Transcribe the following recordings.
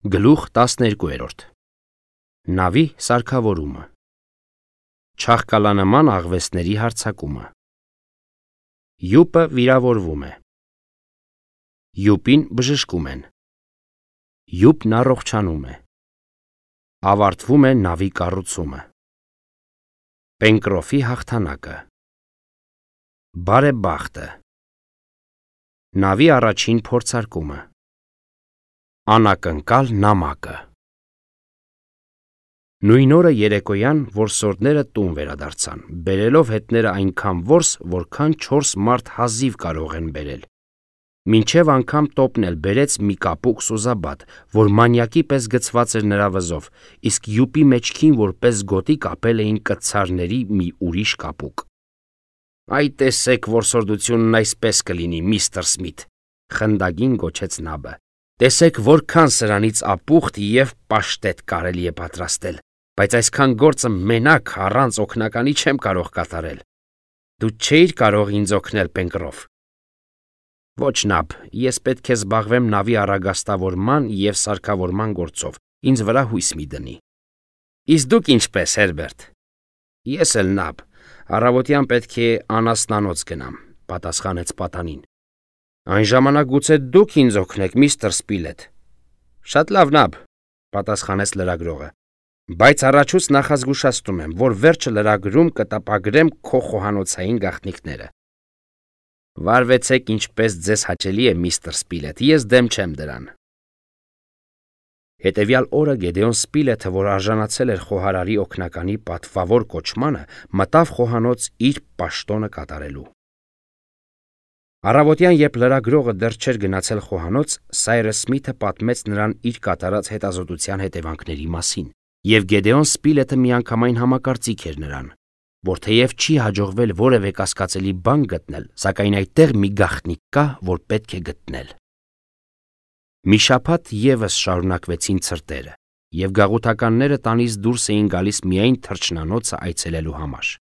Գլուխ 12 Նավի սարքավորումը Չաղկալանման աղվեսների հարձակումը Յուպը վիրավորվում է Յուպին բժշկում են Յուպն առողջանում է Ավարտվում է նավի կառուցումը Պենկրոֆի հաղթանակը Բարեբախտը Նավի առաջին փորձարկումը Անակնկալ նամակը Նույն օրը երեկոյան որսորդները տուն վերադարձան, բերելով հետները այնքան որս, որքան 4 մարդ հազիվ կարող են բերել։ Մինչև անգամ տոպն էլ բերեց մի կապուկ սուզաբատ, որ մանյակի պես գցված էր նրա վզով, իսկ յուպի մեջքին որպես գոտի կապել էին կտցարների մի ուրիշ կապուկ։ Այ տեսեք որսորդությունն այսպես կլինի, միստր Սմիթ, խնդագին գոչեց նաբը։ Տեսեք որքան սրանից ապուխտ և պաշտետ կարելի է պատրաստել, բայց այսքան գործը մենակ առանց օգնականի չեմ կարող կատարել։ Դու չէիր կարող ինձ օգնել, Պենկրոֆ։ Ոչ նաբ, ես պետք է զբաղվեմ նավի առագաստավորման և սարքավորման գործով, ինձ վրա հույս մի դնի։ Իսկ դուք ինչպես, Հերբերտ։ Ես էլ նաբ, առավոտյան պետք է անասնանոց գնամ, պատասխանեց պատանին։ Այն ժամանակ գուցե դուք ինձ օգնեք, միստր Սպիլետ։ Շատ լավ նաբ, պատասխանեց լրագրողը, բայց առաջուց նախազգուշացնում եմ, որ վերջը լրագրում կտապագրեմ քո խոհանոցային գաղտնիքները։ Վարվեցեք ինչպես ձեզ հաճելի է, միստր Սպիլետ, ես դեմ չեմ դրան։ Հետևյալ օրը Գեդեոն Սպիլեթը, որ արժանացել էր խոհարարի օգնականի պատվավոր կոչմանը, մտավ խոհանոց իր պաշտոնը կատարելու։ Առավոտյան, երբ լրագրողը դեռ չէր գնացել խոհանոց, Սայրս Սմիթը պատմեց նրան իր կատարած հետազոտության հետևանքների մասին, և Գեդեոն Սպիլեթը միանգամայն համակարծիք էր նրան, որ թեև չի հաջողվել որևէ կասկածելի բան գտնել, սակայն այդտեղ մի գաղտնիք կա, որ պետք է գտնել։ Մի շաբաթ ևս շարունակվեցին ցրտերը, և գաղութականները տանից դուրս էին գալիս միայն թռչնանոցը այցելելու համար։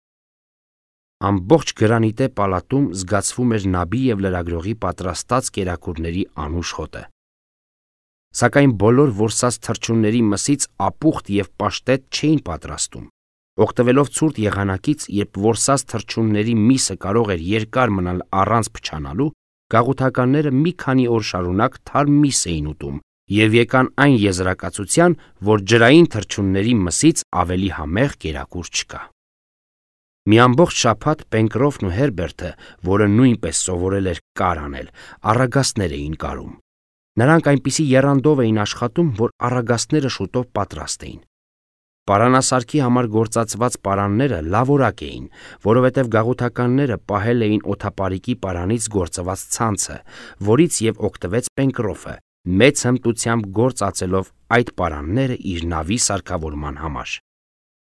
Ամբողջ գրանիտե պալատում զգացվում էր նաբի և լրագրողի պատրաստած կերակուրների անուշ հոտը։ Սակայն բոլոր որսած թռչունների մսից ապուխտ և պաշտետ չէին պատրաստում։ Օգտվելով ցուրտ եղանակից, երբ որսած թռչունների միսը կարող էր երկար մնալ առանց փչանալու, գաղութականները մի քանի օր շարունակ թարմ միս էին ուտում և եկան այն եզրակացության, որ ջրային թռչունների մսից ավելի համեղ կերակուր չկա։ Մի ամբողջ շաբաթ Պենկրոֆն ու Հերբերտը, որը նույնպես սովորել էր կար անել, առագաստներ էին կարում։ Նրանք այնպիսի եռանդով էին աշխատում, որ առագաստները շուտով պատրաստ էին։ Պարանասարքի համար գործածված պարանները լավորակ էին, որովհետև գաղութականները պահել էին օդապարիկի պարանից գործված ցանցը, որից և օգտվեց Պենկրոֆը, մեծ հմտությամբ գործ ածելով այդ պարանները իր նավի սարքավորման համար։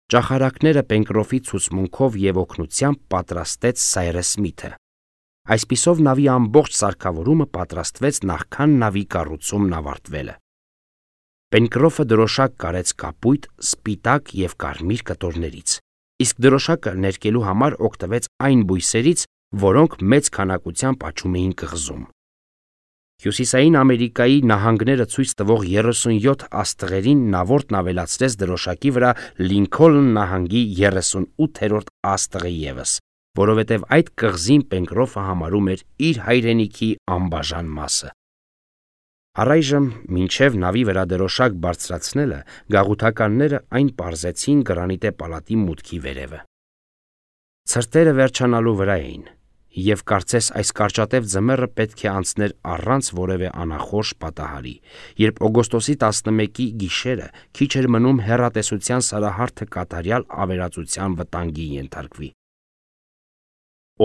Ճախարակները Պենկրոֆի ցուցմունքով և օգնությամբ պատրաստեց Սայրս Սմիթը։ Այսպիսով նավի ամբողջ սարքավորումը պատրաստվեց նախքան նավի կառուցումն ավարտվելը։ Պենկրոֆը դրոշակ կարեց կապույտ, սպիտակ և կարմիր կտորներից, իսկ դրոշակը ներկելու համար օգտվեց այն բույսերից, որոնք մեծ քանակությամբ աճում էին կղզում։ Հյուսիսային Ամերիկայի նահանգները ցույց տվող 37 աստղերին նավորդն ավելացրեց դրոշակի վրա Լինքոլն նահանգի 38-րդ աստղը ևս, որովհետև այդ կղզին Պենկրոֆը համարում էր իր հայրենիքի անբաժան մասը։ Առայժմ, մինչև նավի վրա դրոշակ բարձրացնելը, գաղութականները այն պարզեցին գրանիտե պալատի մուտքի վերևը։ Ցրտերը վերջանալու վրա էին, և կարծես այս կարճատև ձմեռը պետք է անցներ առանց որևէ անախորժ պատահարի, երբ օգոստոսի 11-ի գիշերը քիչ էր մնում հեռատեսության սարահարթը կատարյալ ավերածության վտանգի ենթարկվի։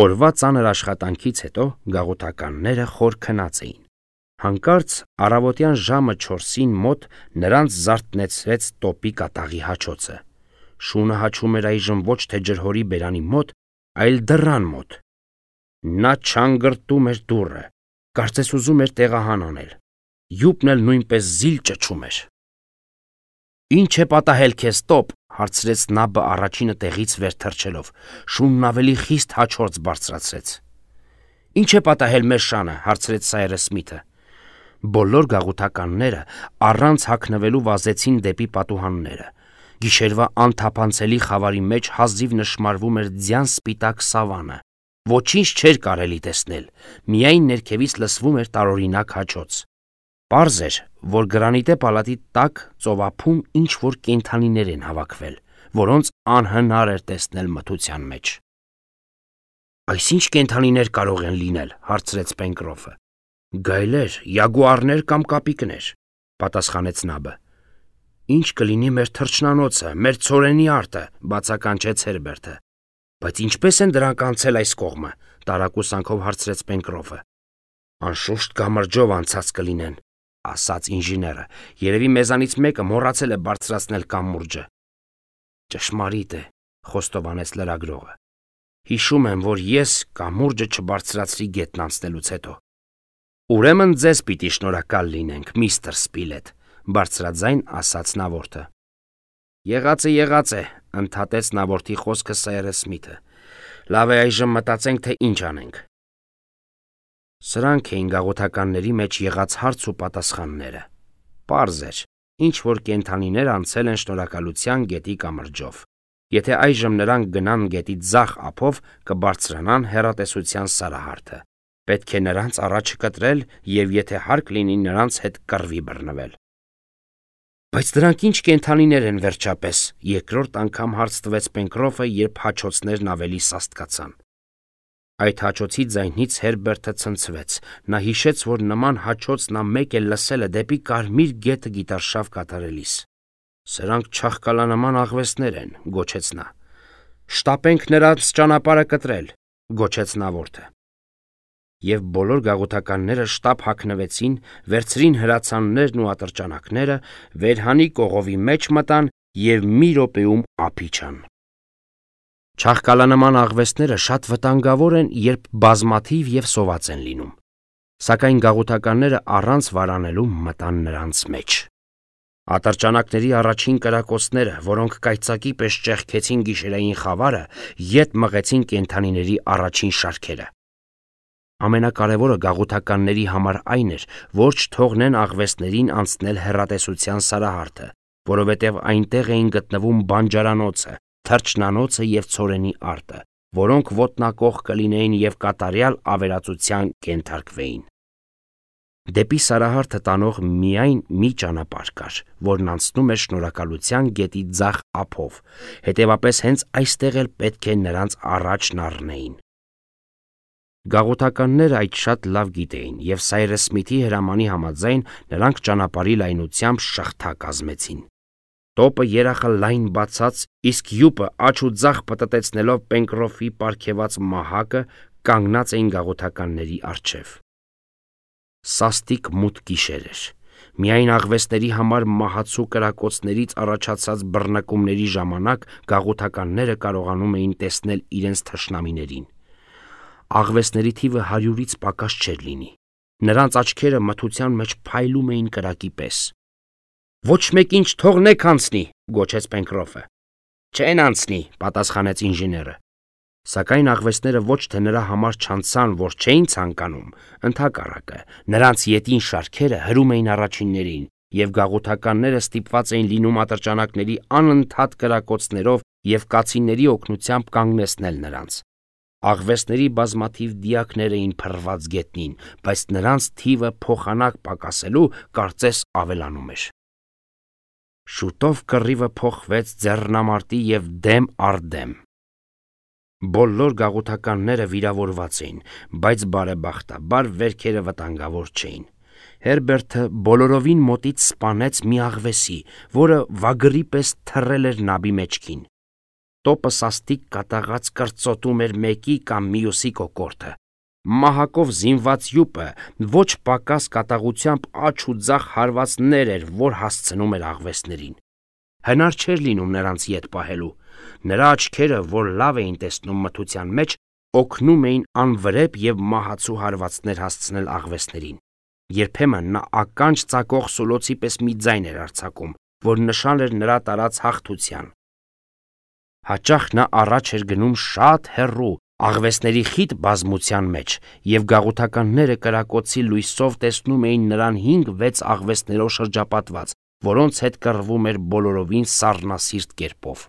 Օրվա ծանր աշխատանքից հետո գաղութականները խոր քնած էին։ Հանկարծ առավոտյան ժամը 4-ին մոտ նրանց զարթնեցրեց տոպի կատաղի հաչոցը։ Շունը հաչում էր այժմ ոչ թե ջրհորի բերանի մոտ, այլ դռան մոտ։ Նա չանգրտում էր դուռը, կարծես ուզում էր տեղահան անել։ Յուպն էլ նույնպես զիլ ճչում էր։ Ինչ է պատահել քեզ, տոպ, հարցրեց նաբը առաջինը տեղից վեր թռչելով։ Շունն ավելի խիստ հաչորձ բարձրացրեց։ Ինչ է պատահել մեր շանը, հարցրեց Սայրս Սմիթը։ Բոլոր գաղութականները առանց հագնվելու վազեցին դեպի պատուհանները։ Գիշերվա անթափանցելի խավարի մեջ հազիվ նշմարվում էր ձյան սպիտակ սավանը։ Ոչինչ չէր կարելի տեսնել, միայն ներքևից լսվում էր տարօրինակ հաչոց։ Պարզ էր, որ գրանիտե պալատի տակ ծովափում ինչ-որ կենդանիներ են հավաքվել, որոնց անհնար էր տեսնել մթության մեջ։ «Այս ի՞նչ կենդանիներ կարող են լինել», հարցրեց Պենկրոֆը։ «Գայլեր, յագուարներ կամ կապիկներ», պատասխանեց Նաբը։ «Ինչ կլինի մեր թռչնանոցը, մեր ցորենի արտը», բացականչեց Հերբերտը։ «Բայց ինչպես են դրանք անցել այս կողմը», տարակուսանքով հարցրեց Պենկրոֆը։ «Անշուշտ կամրջով անցած կլինեն», ասաց ինժեները։ «Երևի մեզանից մեկը մոռացել է բարձրացնել կամուրջը»։ «Ճշմարիտ է», խոստովանեց լրագրողը։ «Հիշում եմ, որ ես կամուրջը չբարձրացրի գետն անցնելուց հետո»։ «Ուրեմն ձեզ պիտի շնորհակալ լինենք, միստր Սպիլետ», բարձրաձայն ասաց նավորդը։ Եղած է, ընդհատեց նավորդի խոսքը Սայրս Սմիթը։ Լավ է, այժմ մտածենք, թե ինչ անենք։ Սրանք էին գաղութականների մեջ եղած հարց ու պատասխանները։ Պարզ էր, ինչ որ կենդանիներ անցել են շնորհակալության գետի կամրջով։ Եթե այժմ նրանք գնան գետի ձախ ափով, կբարձրանան հեռատեսության սարահարթը։ Պետք է նրանց առաջը կտրել և եթե հարկ լինի նրանց հետ կռվի բռնվել։ Բայց դրանք ինչ կենդանիներ են վերջապես, երկրորդ անգամ հարց տվեց Պենկրոֆը, երբ հաչոցներն ավելի սաստկացան։ Այդ հաչոցի ձայնից Հերբերտը ցնցվեց։ Նա հիշեց, որ նման հաչոց նա մեկ էլ լսել է դեպի Կարմիր գետը գիտարշավ կատարելիս։ Սրանք չաղկալանման աղվեսներ են, գոչեց նա։ Շտապենք նրանց ճանապարհը կտրել, գոչեց նավորդը։ Եվ բոլոր գաղութականները շտապ հագնվեցին, վերցրին հրացաններն ու ատրճանակները, վերհանի կողովի մեջ մտան և մի րոպեում ափ իջան։ Չաղկալանման աղվեսները շատ վտանգավոր են, երբ բազմաթիվ և սոված են լինում, սակայն գաղութականները առանց վարանելու մտան նրանց մեջ։ Ատրճանակների առաջին կրակոցները, որոնք կայծակի պես ճեղքեցին գիշերային խավարը, ետ մղեցին կենդանիների առաջին շարքերը։ Ամենակարևորը գաղութականների համար այն էր, որ չթողնեն աղվեսներին անցնել հեռատեսության սարահարթը, որովհետև այնտեղ էին գտնվում բանջարանոցը, թռչնանոցը և ցորենի արտը, որոնք ոտնակող կլինեին և կատարյալ ավերածության կենթարկվեին։ Դեպի սարահարթը տանող միայն մի ճանապարհ կար, որն անցնում էր շնորհակալության գետի ձախ ափով, հետևապես հենց այստեղ էլ պետք է նրանց առաջն առնեին։ Գաղութականները այդ շատ լավ գիտեին, և Սայրս Սմիթի հրամանի համաձայն նրանք ճանապարհի լայնությամբ շղթա կազմեցին։ Տոպը երախը լայն բացած, իսկ յուպը աջ ու ձախ պտտեցնելով Պենկրոֆի պարգևած մահակը կանգնած էին գաղութականների առջև։ Սաստիկ մութ գիշեր էր։ Միայն աղվեսների համար մահացու կրակոցներից առաջացած բռնկումների ժամանակ գաղութականները կարողանում էին տեսնել իրենց թշնամիներին։ Աղվեսների թիվը 100-ից պակաս չէր լինի։ Նրանց աչքերը մթության մեջ փայլում էին կրակի պես։ «Ոչ մեկին չթողնեք անցնի», գոչեց Պենկրոֆը։ «Չեն անցնի», պատասխանեց ինժեները։ Սակայն աղվեսները ոչ թե նրա համար չանցան, որ չէին ցանկանում, ընդհակառակը, նրանց ետին շարքերը հրում էին առաջիններին, և գաղութականները ստիպված էին լինում ատրճանակների անընդհատ կրակոցներով և կացինների օգնությամբ կանգնեցնել նրանց։ Աղվեսների բազմաթիվ դիակներ էին փռված գետնին, բայց նրանց թիվը փոխանակ պակասելու կարծես ավելանում էր։ Շուտով կռիվը փոխվեց ձեռնամարտի և դեմ առ դեմ։ Բոլոր գաղութականները վիրավորված էին, բայց բարեբախտաբար վերքերը վտանգավոր չէին։ Հերբերտը բոլորովին մոտից սպանեց մի աղվեսի, որը վագրի պես թռել էր նաբի մեջքին։ Տոպը սաստիկ կատաղած կրծոտում էր մեկի կամ մյուսի կոկորդը։ Մահակով զինված յուպը ոչ պակաս կատաղությամբ աջ ու ձախ հարվածներ էր, որ հասցնում էր աղվեսներին։ Հնար չէր լինում նրանց ետ պահելու։ Նրա աչքերը, որ լավ էին տեսնում մթության մեջ, օգնում էին անվրեպ և մահացու հարվածներ հասցնել աղվեսներին։ Երբեմն նա ականջ ծակող սուլոցի պես մի ձայն էր արձակում, որ նշան էր նրա տարած հաղթության։ Հաճախ նա առաջ էր գնում շատ հեռու, աղվեսների խիտ բազմության մեջ և գաղութականները կրակոցի լույսով տեսնում էին նրան 5-6 աղվեսներով շրջապատված, որոնց հետ կռվում էր բոլորովին սառնասիրտ կերպով։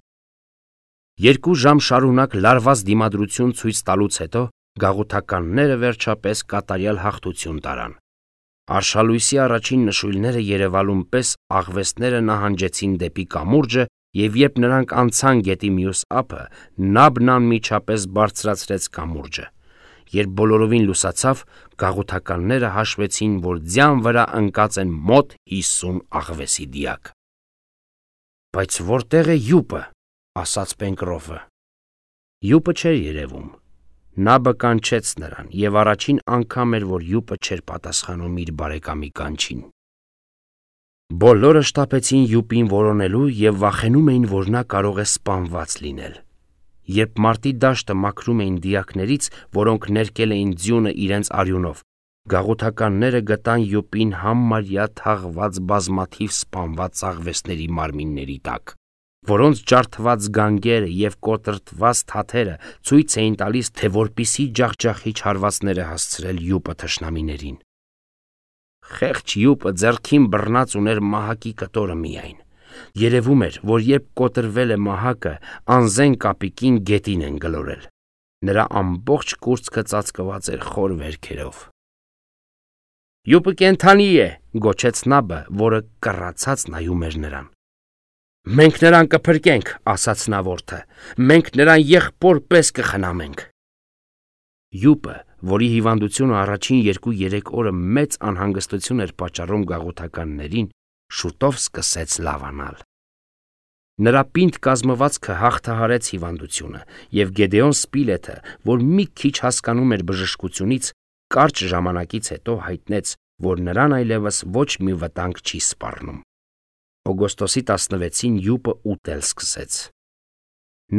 2 ժամ շարունակ լարված դիմադրություն ցույց տալուց հետո գաղութականները վերջապես կատարյալ հաղթություն տարան։ Արշալույսի առաջին նշույլները երևալուն պես աղվեսները նահանջեցին դեպի կամուրջը, և երբ նրանք անցան գետի մյուս ափը, Նաբն անմիջապես բարձրացրեց կամուրջը։ Երբ բոլորովին լուսացավ, գաղութականները հաշվեցին, որ ձյան վրա ընկած են մոտ 50 աղվեսի դիակ։ «Բայց որտեղ է յուպը», ասաց Պենկրոֆը։ Յուպը չէր երևում։ Նաբը կանչեց նրան, և առաջին անգամ էր, որ յուպը չէր պատասխանում իր բարեկամի կանչին։ Բոլորը շտապեցին յուպին որոնելու և վախենում էին, որ նա կարող է սպանված լինել։ Երբ մարտի դաշտը մաքրում էին դիակներից, որոնք ներկել էին ձյունը իրենց արյունով, գաղութականները գտան յուպին համարյա թաղված բազմաթիվ սպանված աղվեսների մարմինների տակ, որոնց ջարդված գանգերը և կոտրտված թաթերը ցույց էին տալիս, թե որպիսի ջախջախիչ հարվածներ է հասցրել յուպը թշնամիներին։ Խեղճ յուպը ձեռքին բռնած ուներ մահակի կտորը միայն։ Երևում էր, որ երբ կոտրվել է մահակը, անզեն կապիկին գետին են գլորել։ Նրա ամբողջ կուրծքը ծածկված էր խոր վերքերով։ «Յուպը կենդանի է», գոչեց Նաբը, որը կռացած նայում էր նրան։ «Մենք նրան կփրկենք», ասաց նա որդը, «մենք նրան եղբոր պես կխնամենք»։ Յուպը, որի հիվանդությունը առաջին 2-3 օրը մեծ անհանգստություն էր պատճառում գաղութականներին, շուտով սկսեց լավանալ։ Նրա պինդ կազմվածքը հաղթահարեց հիվանդությունը, և Գեդեոն Սպիլեթը, որ մի քիչ հասկանում էր բժշկությունից, կարճ ժամանակից հետո հայտնեց, որ նրան այլևս ոչ մի վտանգ չի սպառնում։ Օգոստոսի 16-ին յուպը ուտել սկսեց։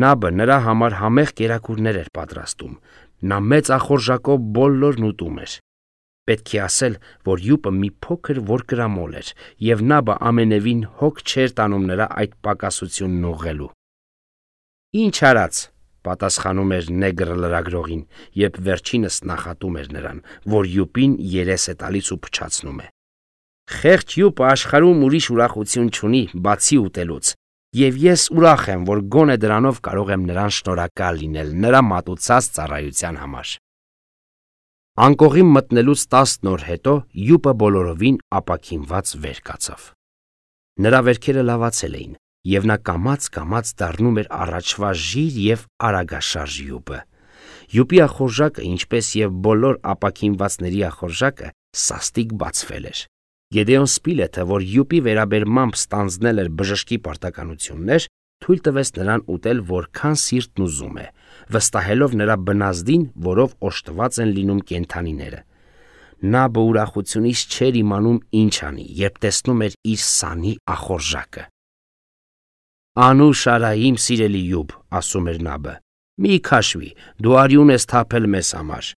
Նաբը նրա համար համեղ կերակուրներ էր պատրաստում։ Նա մեծ ախորժակով բոլորն ուտում էր։ Պետք է ասել, որ յուպը մի փոքր որկրամոլ էր, և Նաբը ամենևին հոգ չէր տանում նրա այդ պակասությունն ուղղելու։ «Ինչ արած», պատասխանում էր նեգրը լրագրողին, երբ վերջինս նախատում էր նրան, որ յուպին երես է տալիս ու փչացնում է։ «Խեղճ յուպը աշխարհում ուրիշ ուրախություն չունի, բացի ուտելուց, և ես ուրախ եմ, որ գոնե դրանով կարող եմ նրան շնորհակալ լինել նրա մատուցած ծառայության համար»։ Անկողին մտնելուց 10 օր հետո յուպը բոլորովին ապաքինված վեր կացավ։ Նրա վերքերը լավացել էին, և նա կամաց-կամաց դառնում էր առաջվա ժիր և արագաշարժ յուպը։ Յուպի ախորժակը, ինչպես և բոլոր ապաքինվածների ախորժակը, սաստիկ բացվել էր։ Գեդեոն Սպիլեթը, որ յուպի վերաբերմամբ ստանձնել էր բժշկի պարտականություններ, թույլ տվեց նրան ուտել որքան սիրտն ուզում է, վստահելով նրա բնազդին, որով օժտված են լինում կենդանիները։ Նա ուրախությունից չէր իմանում ինչ անի, երբ տեսնում էր իր սանի ախորժակը։ «Անուշ արա, իմ սիրելի յուպ», ասում էր Նաբը, «մի քաշվի, դու արյուն ես թափել մեզ համար,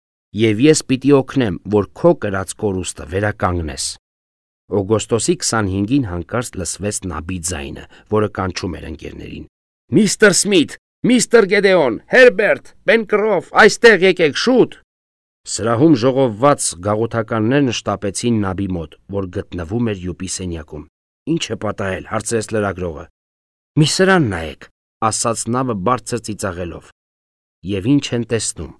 և ես պիտի օգնեմ, որ քո կրած կորուստը վերականգնես»։ Օգոստոսի 25-ին հանկարծ լսվեց Նաբի ձայնը, որը կանչում էր ընկերներին. «Միստր Սմիթ, միստր Գեդեոն, Հերբերտ, Պենկրոֆ, այստեղ եկեք, շուտ»։ Սրահում ժողովված գաղութականներն շտապեցին Նաբի մոտ, որ գտնվում էր յուպի սենյակում։ «Ինչ է պատահել», հարցրեց լրագրողը։ «Մի սրան նայեք», ասաց Նաբը բարձր ծիծաղելով։ Եվ ինչ են տեսնում։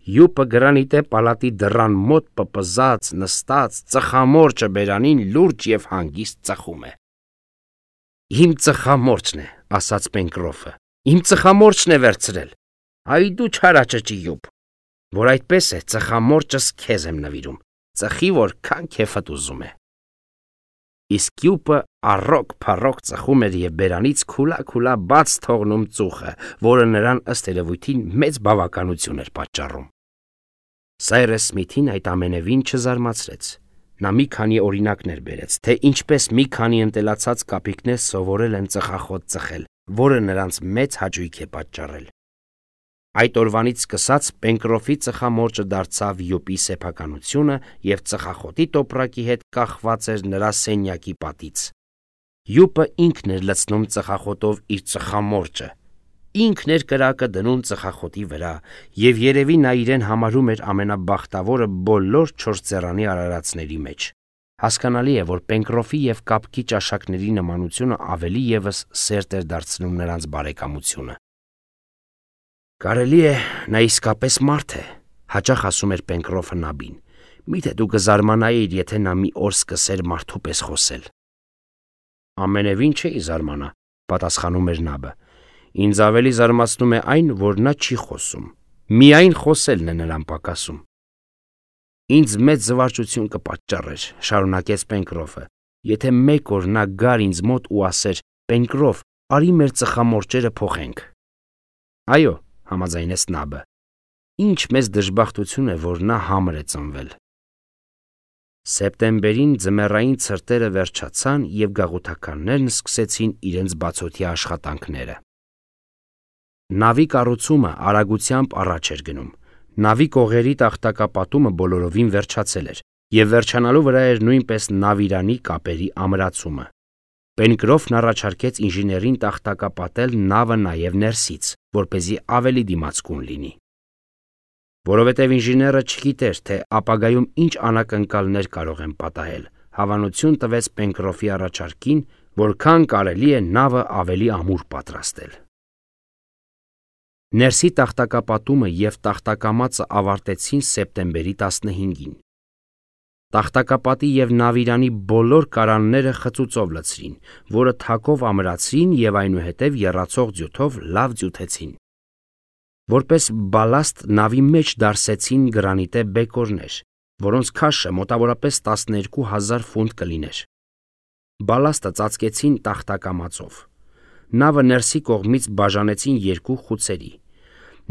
Յուպը գրանիտե պալատի դռան մոտ պպզած, նստած, ծխամորճը բերանին լուրջ և հանգիստ ծխում է։ «Իմ ծխամորճն է», ասաց Պենկրոֆը, «իմ ծխամորճն է վերցրել։ Այ դու չարաճճի յուպ, որ այդպես է, ծխամորճս քեզ եմ նվիրում, ծխի որքան քեֆդ ուզում է»։ Իսկ յուպը առոք-փառոք ծխում էր և բերանից քուլա բաց թողնում ծուխը, որը նրան ըստ երևույթին մեծ բավականություն էր պատճառում։ Սայրես Սմիթին այդ ամենևին չզարմացրեց։ Նա մի քանի օրինակներ բերեց, թե ինչպես մի քանի ընտելացած կապիկներ սովորել են ծխախոտ ծխել, որը նրանց մեծ հաճույք է պատճառել։ Այդ օրվանից սկսած Պենկրոֆի ծխամորճը դարձավ յուպի սեփականությունը և ծխախոտի տոպրակի հետ կախված էր նրա սենյակի պատից։ Յուպը ինքն էր լցնում ծխախոտով իր ծխամորճը, ինքն էր կրակը դնում ծխախոտի վրա, եւ երևի նա իրեն համարում էր ամենաբախտավորը բոլոր 4 ձեռանի արարածների մեջ։ Հասկանալի է, որ Պենկրոֆի եւ կապկի ճաշակների նմանությունը ավելի եւս սերտ էր դարձնում նրանց բարեկամությունը։ Կարելի է, նա իսկապես մարդ է, հաճախ ասում էր Պենկրոֆը Նաբին։ Միթե դու կզարմանայիր, եթե նա մի օր սկսեր մարդու պես խոսել։ Ամենևին չէի զարմանա, պատասխանում էր Նաբը։ Ինձ ավելի զարմացնում է այն, որ նա չի խոսում։ Միայն խոսելն է նրան պակասում։ Ինձ մեծ զվարճություն կպատճառեր, շարունակեց Պենկրոֆը, եթե մեկ օր նա գար ինձ մոտ ու ասեր. Պենկրոֆ, արի մեր ծխամորճերը փոխենք։ Այո, համաձայնեց Նաբը։ Ինչ մեծ դժբախտություն է, որ նա համր է ծնվել։ Սեպտեմբերին ձմեռային ցրտերը վերջացան եւ գաղութականներն սկսեցին իրենց բացօթյա աշխատանքները։ Նավի կառուցումը արագությամբ առաջ էր գնում։ Նավի կողերի տախտակապատումը բոլորովին վերջացել էր եւ վերջանալու վրա էր նույնպես նավիրանի կապերի ամրացումը։ Պենկրոֆն առաջարկեց ինժեներին տախտակապատել նավը նաեւ ներսից, որպեսզի ավելի դիմացկուն լինի։ Որովհետեւ ինժեները չգիտեր, թե ապագայում ինչ անակնկալներ կարող են պատահել, հավանություն տվեց Պենկրոֆի առաջարկին, որքան կարելի է նավը ավելի ամուր պատրաստել։ Ներսի տախտակապատումը եւ տախտակամածը ավարտեցին սեպտեմբերի 15-ին։ Տախտակապատի եւ նավիրանի բոլոր կարանները խծուծով լցրին, որը թակով ամրացրին եւ այնուհետեւ եռացող ձյութով լավ ձյութեցին։ Որպես բալաստ նավի մեջ դարսեցին գրանիտե բեկորներ, որոնց քաշը մոտավորապես 12,000 ֆունտ կլիներ։ Բալաստը ծածկեցին տախտակամածով։ Նավը ներսի կողմից բաժանեցին 2 խուցերի։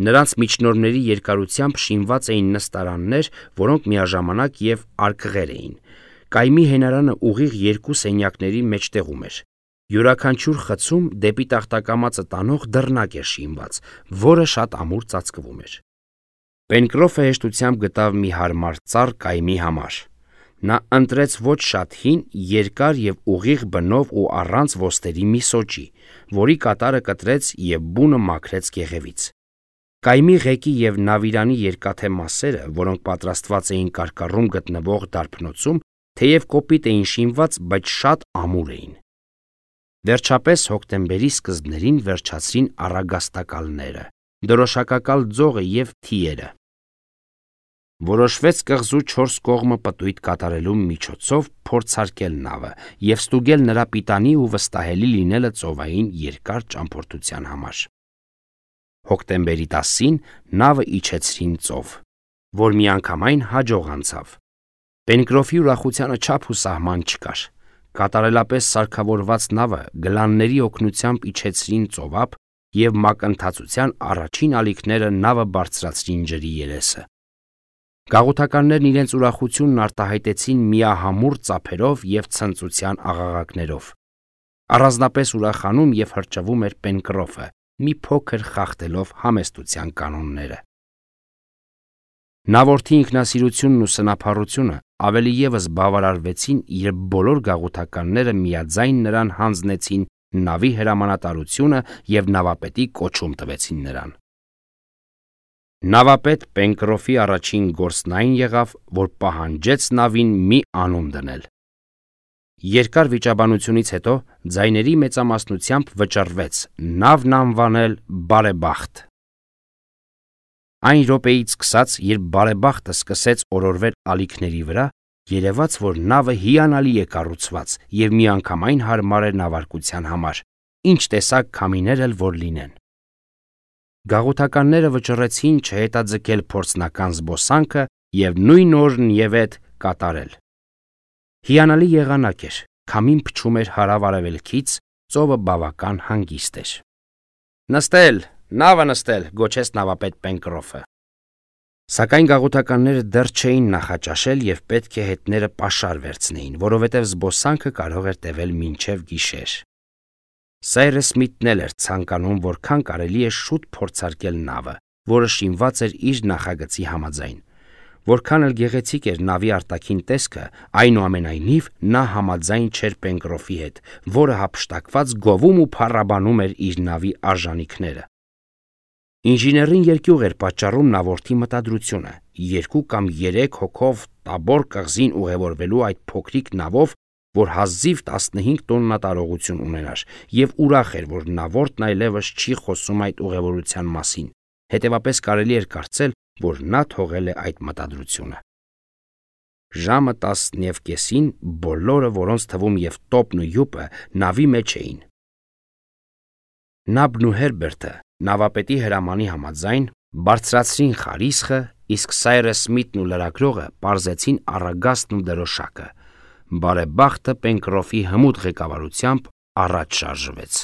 Նրանց միջնորմների երկարությամբ շինված էին նստարաններ, որոնք միաժամանակ եւ արկղեր էին։ Կայմի հենարանը ուղիղ 2 սենյակների մեջտեղում էր։ Յուրաքանչյուր խցում դեպի տախտակամածը տանող դռնակ էր շինված, որը շատ ամուր ծածկվում էր։ Պենկրոֆը հեշտությամբ գտավ մի հարմար ծառ կայմի համար։ Նա ընտրեց ոչ շատ հին, երկար եւ ուղիղ բնով ու առանց ոստերի մի սոճի, որի կատարը կտրեց եւ բունը մաքրեց կեղևից։ Կայմի ղեկի եւ նավիրանի երկաթե մասերը, որոնք պատրաստված էին կարկառում գտնվող դարբնոցում, թեև կոպիտ էին շինված, բայց շատ ամուր էին։ Վերջապես հոկտեմբերի սկզբներին վերջացրին առագաստակալները, դրոշակակալ ձողը եւ թիերը։ Որոշվեց կղզու 4 կողմը պտույտ կատարելու միջոցով փորձարկել նավը եւ ստուգել նրա պիտանի ու վստահելի լինելը ծովային երկար ճամփորդության համար։ Հոկտեմբերի 10-ին նավը իջեցրին ծով, որ միանգամայն հաջող անցավ։ Պենկրոֆի ուրախությանը չափ ու սահման չկար։ Կատարելապես սարքավորված նավը գլանների օգնությամբ իջեցրին ծովափ եւ մակընթացության առաջին ալիքները նավը բարձրացրին ջրի երեսը։ Գաղութականներն իրենց ուրախությունն արտահայտեցին միահամուռ ծափերով եւ ցնծության աղաղակներով։ Առանձնապես ուրախանում եւ հրճվում էր Պենկրոֆը, մի փոքր խախտելով համեստության կանոնները։ Նավորդի ինքնասիրությունն ու սնափառությունը ավելի եւս բավարարվեցին, երբ բոլոր գաղութականները միաձայն նրան հանձնեցին նավի հրամանատարությունը եւ նավապետի կոչում տվեցին նրան։ Նավապետ Պենկրոֆի առաջին գործն այն եղավ, որ պահանջեց նավին մի անուն դնել։ Երկար վիճաբանությունից հետո ձայների մեծամասնությամբ վճռվեց նավն անվանել Բարեբախտ։ Այն րոպեից սկսած, երբ Բարեբախտը սկսեց օրորվել ալիքների վրա, երևաց, որ նավը հիանալի է կառուցված եւ միանգամայն հարմար է նավարկության համար, ինչ տեսակ քամիներ էլ որ լինեն։ Գաղութականները վճռեցին չհետաձգել փորձնական զբոսանքը եւ նույն օրն եւ այդ կատարել։ Հիանալի եղանակ էր, քամին փչում էր հարավ-արևելքից, ծովը բավական հանգիստ էր։ Նստել, նավը նստել, գոչեց նավապետ Պենկրոֆը։ Սակայն գաղութականները դեռ չէին նախաճաշել եւ պետք է հետները պաշար վերցնեին, որովհետեւ զբոսանքը կարող էր տևել մինչեւ գիշեր։ Սայրս Սմիթն էր ցանկանում որքան կարելի է շուտ փորձարկել նավը, որը շինված էր իր նախագծի համաձայն։ Որքան էլ գեղեցիկ էր նավի արտաքին տեսքը, այնուամենայնիվ նա համաձայն չէր Պենկրոֆի հետ, որը հափշտակված գովում ու փառաբանում էր իր նավի արժանինքները։ Ինժեներին երկյուղ էր պատճառում նավորդի մտադրությունը 2 կամ 3 հոգով Տաբոր կղզին ուղևորվելու այդ փոքրիկ նավով, որ հազիվ 15 տոննա տարողություն ունենար, եւ ուրախ էր, որ նավորդն այլևս չի խոսում այդ ուղևորության մասին, հետևապես կարելի էր կարծել, որ նա թողել է այդ մտադրությունը։ Ժամը 10:30-ին բոլորը, որոնց թվում եւ Տոպն ու Յուպը նավի մեջ էին։ Նաբն ու Հերբերտը նավապետի հրամանի համաձայն բարձրացրին խարիսխը, իսկ Սայրես Սմիթն ու լրագրողը պարզեցին առագաստն ու դրոշակը։ Բարեբախտը Պենկրոֆի հմուտ ղեկավարությամբ առաջ շարժվեց։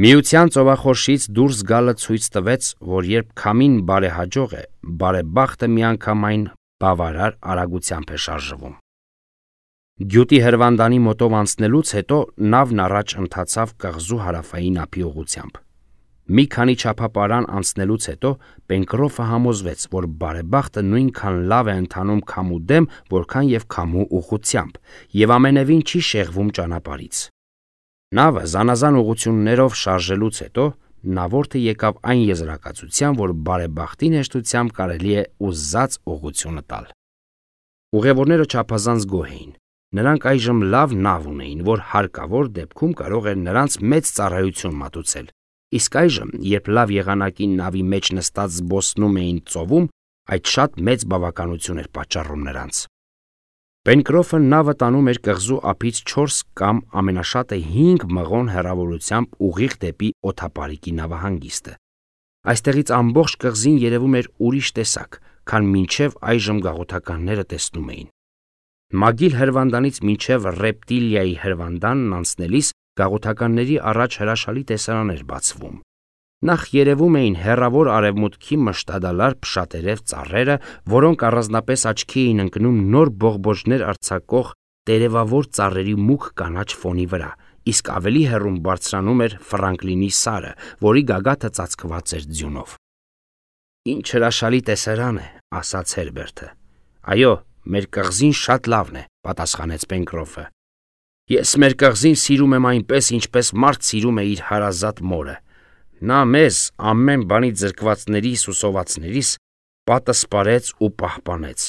Միության ծովախորշից դուրս գալը ցույց տվեց, որ երբ քամին բարեհաջող է, բարեբախտը միանգամայն բավարար արագությամբ է շարժվում։ Գյուտի հրվանդանի մոտով անցնելուց հետո նավն առաջ ընթացավ կղզու հարավային ափի ուղղությամբ։ Մի քանի չափապարան անցնելուց հետո Պենկրոֆը համոզվեց, որ բարեբախտը նույնքան լավ է ընթանում քամու դեմ, որքան եւ քամու ուղղությամբ, եւ ամենևին չի շեղվում ճանապարհից։ Նավը զանազան ուղղություններով շարժելուց հետո նավորդը եկավ այն եզրակացության, որ բարեբախտին հեշտությամբ կարելի է ուզած ուղղությունը տալ։ Ուղևորները չափազանց գոհ էին։ Նրանք այժմ լավ նավ ունեին, որ հարկավոր դեպքում կարող էր նրանց մեծ ծառայություն մատուցել, իսկ այժմ, երբ լավ եղանակի նավի մեջ նստած զբոսնում էին ծովում, այդ շատ մեծ բավականություն էր պատճառում նրանց։ Պենկրոֆը նավը տանում էր կղզու ափից 4 կամ ամենաշատը 5 մղոն հեռավորությամբ ուղիղ դեպի օդապարիկի նավահանգիստը։ Այստեղից ամբողջ կղզին երևում էր ուրիշ տեսակ, քան մինչև այժմ գաղութականները տեսնում էին։ Մագիլ հրվանդանից մինչև Ռեպտիլիայի հրվանդանն անցնելիս գաղութականների առաջ հրաշալի տեսարան էր բացվում։ Նախ երևում էին հեռավոր արևմուտքի մշտադալար փշատերև ծառերը, որոնք առանձնապես աչքի էին ընկնում նոր բողբոջներ արձակող տերևավոր ծառերի մուգ կանաչ ֆոնի վրա, իսկ ավելի հեռուն բարձրանում էր Ֆրանկլինի սարը, որի գագաթը ծածկված էր ձյունով։ Ինչ հրաշալի տեսարան է, ասաց Հերբերտը։ Այո, մեր կղզին շատ լավն է, պատասխանեց Պենկրոֆը։ Ես մեր կղզին սիրում եմ այնպես, ինչպես մարդ սիրում է իր հարազատ մորը։ Նա մեզ ամեն բանի ձրկվածներիս ու սովածներիս պատը սպարեց ու պահպանեց։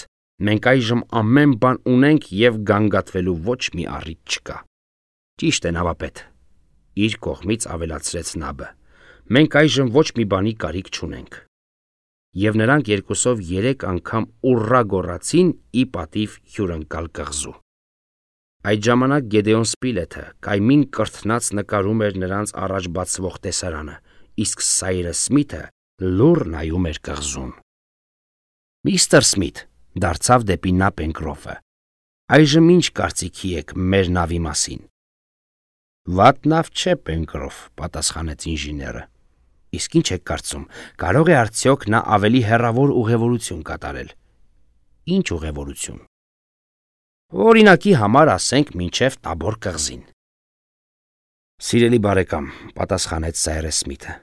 Մենք այժմ ամեն բան ունենք եւ գանգատվելու ոչ մի առիթ չկա։ Ճիշտ է, նավապետ, իր կողմից ավելացրեց Նաբը։ Մենք այժմ ոչ մի բանի կարիք չունենք։ Եվ նրանք երկուսով 3 անգամ ուռա գոռացին ի պատիվ հյուրընկալ կղզու։ Այդ ժամանակ Գեդեոն Սպիլեթը կայմին կրթնած նկարում էր նրանց առաջ բացվող տեսարանը, իսկ Սայրես Սմիթը լուռ նայում էր կղզուն։ Միստր Սմիթ, դարձավ դեպի նա Պենկրոֆը, այժմ ինչ կարծիքի եք մեր նավի մասին։ Վատ նավ չէ, Պենկրոֆ, պատասխանեց ինժեները։ Իսկ ինչ եք կարծում, կարող է արդյոք նա ավելի հեռավոր ուղևորություն կատարել։ Ինչ ուղևորություն։ Օրինակի համար ասենք մինչև Տաբոր կղզին։ Սիրելի բարեկամ, պատասխանեց Սայրես Սմիթը,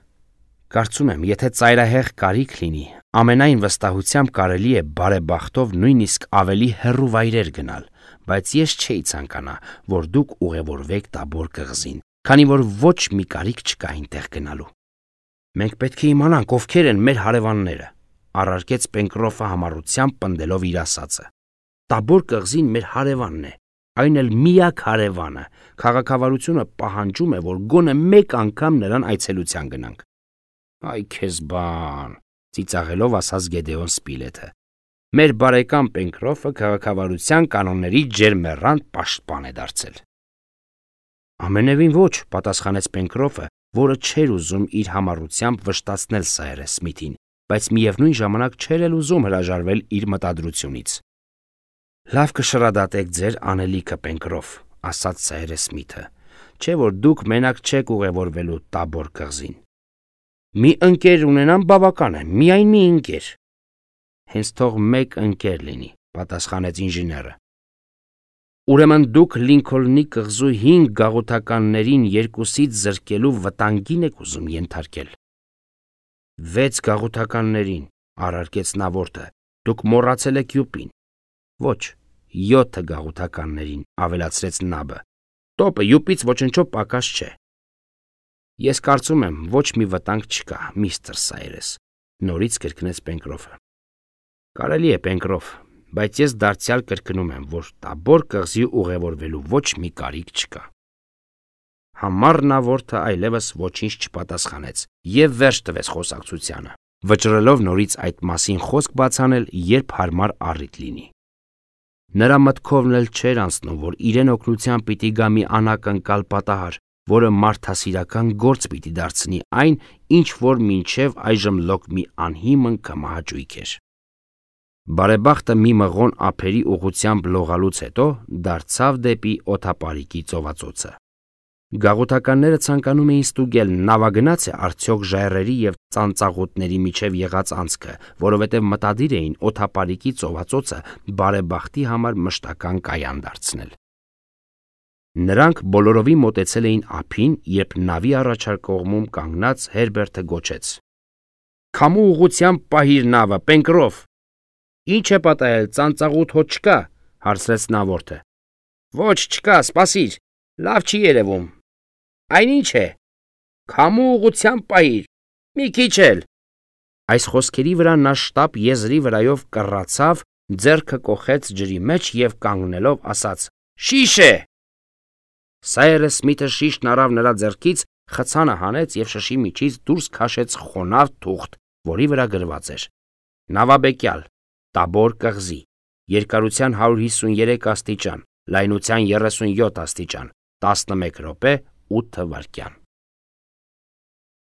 կարծում եմ, եթե ծայրահեղ կարիք լինի, ամենայն վստահությամբ կարելի է բարեբախտով նույնիսկ ավելի հեռու վայրեր գնալ, բայց ես չէի ցանկանա, որ դուք ուղևորվեք Տաբոր կղզին, քանի որ ոչ մի կարիք չկա այնտեղ գնալու։ Մենք պետք է իմանանք, ովքեր են մեր հարևանները, առարկեց Պենկրոֆը համառությամբ պնդելով իր ասածը։ Տաբոր կղզին մեր հարևանն է, այն էլ միակ հարևանը, քաղաքավարությունը պահանջում է, որ գոնե մեկ անգամ նրան այցելության գնանք։ Այ քեզ բան, ծիծաղելով ասաց Գեդեոն Սպիլեթը։ Մեր բարեկամ Պենկրոֆը քաղաքավարության կանոնների ջերմեռանդ պաշտպան է դարձել։ Ամենևին ոչ, պատասխանեց Պենկրոֆը, որը չէր ուզում իր համառությամբ վշտացնել Սայրես Սմիթին, բայց միևնույն ժամանակ չէր էլ ուզում հրաժարվել իր մտադրությունից։ Լավ կշռադատեք ձեր անելիքը, Պենկրոֆ, ասաց Սայրես Սմիթը, չէ որ դուք մենակ չեք ուղևորվելու Տաբոր կղզին։ Մի ընկեր ունենամ բավական է, միայն մի ընկեր։ Հենց թող մեկ ընկեր լինի, պատասխանեց ինժեները։ Ուրեմն դուք Լինքոլնի կղզու 5 գաղութականներին 2-ից զրկելու վտանգին եք ուզում ենթարկել։ 6 գաղութականներին, առարկեց նավորդը, դուք մոռացել եք Յուպին։ Ոչ, 7 գաղութականներին, ավելացրեց Նաբը։ Տոպը Յուպից ոչնչով պակաս չէ։ Ես կարծում եմ, ոչ մի վտանգ չկա, միստր Սայրես, նորից կրկնեց Պենկրոֆը։ Կարելի է, Պենկրոֆ, բայց ես դարձյալ կրկնում եմ, որ Տաբոր կղզի ուղևորվելու ոչ մի կարիք չկա։ Համառնավորթը այլևս ոչինչ չպատասխանեց եւ վերջ տվեց խոսակցությանը, վճռելով նորից այդ մասին խոսք բացանել, երբ հարմար առիթ լինի։ Նրա մտքովն էլ չէր անցնում, որ իրեն օգնության պիտի գա մի անակնկալ պատահար, որը մարդասիրական գործ պիտի դարձնի այն, ինչ որ մինչև այժմ լոկ մի անհիմն կմահաճույք էր։ Բարեբախտը մի մղոն ափերի ուղությամբ լողալուց հետո դարձավ դեպի օդապարիկի ծովածոցը։ Գաղութականները ցանկանում էին ստուգել նավագնաց է արդյոք ժայռերի եւ ծանծաղուտների միջև եղած անցքը, որովհետեւ մտադիր էին օդապարիկի ծովածոցը բարեբախտի համար մշտական կայան դարձնել։ Նրանք բոլորովին մոտեցել էին ափին, երբ նավի առաջար կողմում կանգնած Հերբերտը գոչեց. «Քամու ուղղությամբ պահիր նավը, Պենկրոֆ»։ «Ինչ է պատահել, ծանծաղուտ հոտ չկա», հարցրեց նավորդը։ «Ոչ, չկա, սպասիր, լավ չի երևում»։ «Այնինչ է, քամու ուղղությամբ պահիր, մի քիչ էլ»։ Այս խոսքերի վրա նա շտապ եզրի վրայով կռացավ, ձեռքը կոխեց ջրի մեջ եւ կանգնելով ասաց. «Շիշ է»։ Սայրս Սմիթը շիշն առավ նրա ձեռքից, խցանը հանեց եւ շշի միջից դուրս քաշեց խոնավ թուղթ, որի վրա գրված էր. Նավաբեկյալ, Տաբոր կղզի, երկարության 153 աստիճան, լայնության 37 աստիճան, 11 րոպե 8 վայրկյան։